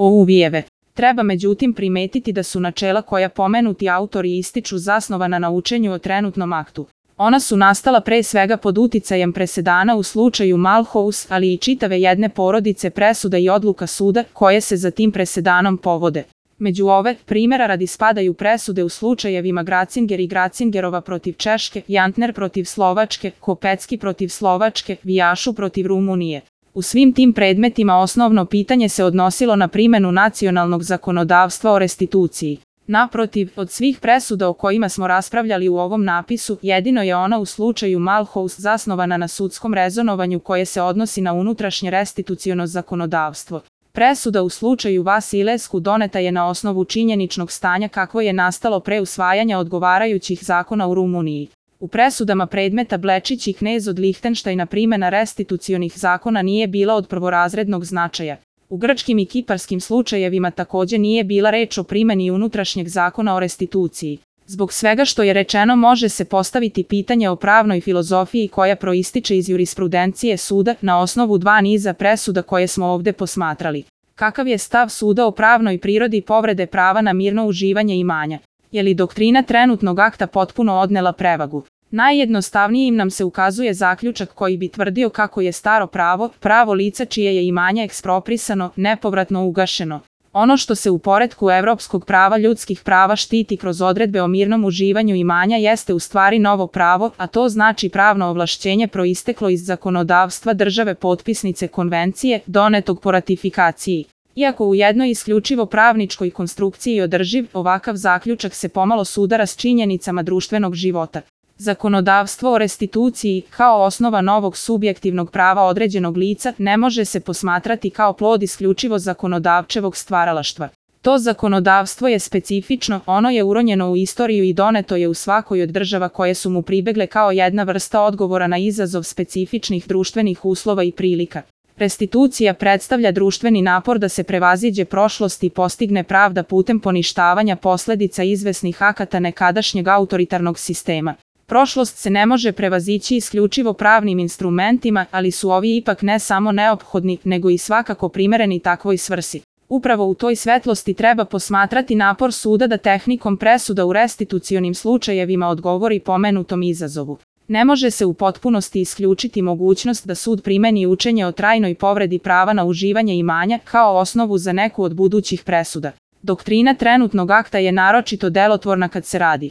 Ouvijeve. Treba međutim primetiti da su načela koja pomenuti autori ističu zasnovana na učenju o trenutnom aktu. Ona su nastala pre svega pod uticajem presedana u slučaju Malhouse, ali i čitave jedne porodice presuda i odluka suda koje se za tim presedanom povode. Među ove primjera radi spadaju presude u slučajevima Gracinger i Gracingerova protiv Češke, Jantner protiv Slovačke, Kopecki protiv Slovačke, Vijašu protiv Rumunije. U svim tim predmetima osnovno pitanje se odnosilo na primjenu nacionalnog zakonodavstva o restituciji. Naprotiv, od svih presuda o kojima smo raspravljali u ovom napisu, jedino je ona u slučaju Malhouse zasnovana na sudskom rezonovanju koje se odnosi na unutrašnje restituciono zakonodavstvo. Presuda u slučaju Vasilescu doneta je na osnovu činjeničnog stanja kakvo je nastalo pre usvajanja odgovarajućih zakona u Rumuniji. U presudama predmeta Blečić i Knez od Lihtenštajna primjena restitucionih zakona nije bila od prvorazrednog značaja. U grčkim i kiparskim slučajevima također nije bila reč o primjeni unutrašnjeg zakona o restituciji. Zbog svega što je rečeno može se postaviti pitanje o pravnoj filozofiji koja proističe iz jurisprudencije suda na osnovu dva niza presuda koje smo ovdje posmatrali. Kakav je stav suda o pravnoj prirodi povrede prava na mirno uživanje imanja? Je li doktrina trenutnog akta potpuno odnela prevagu? Najjednostavnijim nam se ukazuje zaključak koji bi tvrdio kako je staro pravo, pravo lica čije je imanje eksproprisano, nepovratno ugašeno. Ono što se u poretku evropskog prava ljudskih prava štiti kroz odredbe o mirnom uživanju imanja jeste u stvari novo pravo, a to znači pravno ovlašćenje proisteklo iz zakonodavstva države potpisnice konvencije, donetog po ratifikaciji. Iako u jednoj isključivo pravničkoj konstrukciji održiv, ovakav zaključak se pomalo sudara s činjenicama društvenog života. Zakonodavstvo o restituciji, kao osnova novog subjektivnog prava određenog lica, ne može se posmatrati kao plod isključivo zakonodavčevog stvaralaštva. To zakonodavstvo je specifično, ono je uronjeno u istoriju i doneto je u svakoj od država koje su mu pribegle kao jedna vrsta odgovora na izazov specifičnih društvenih uslova i prilika. Restitucija predstavlja društveni napor da se prevaziđe prošlost i postigne pravda putem poništavanja posljedica izvesnih akata nekadašnjeg autoritarnog sistema. Prošlost se ne može prevazići isključivo pravnim instrumentima, ali su ovi ipak ne samo neophodni, nego i svakako primereni takvoj svrsi. Upravo u toj svetlosti treba posmatrati napor suda da tehnikom presuda u restitucionim slučajevima odgovori pomenutom izazovu. Ne može se u potpunosti isključiti mogućnost da sud primeni učenje o trajnoj povredi prava na uživanje imanja kao osnovu za neku od budućih presuda. Doktrina trenutnog akta je naročito delotvorna kad se radi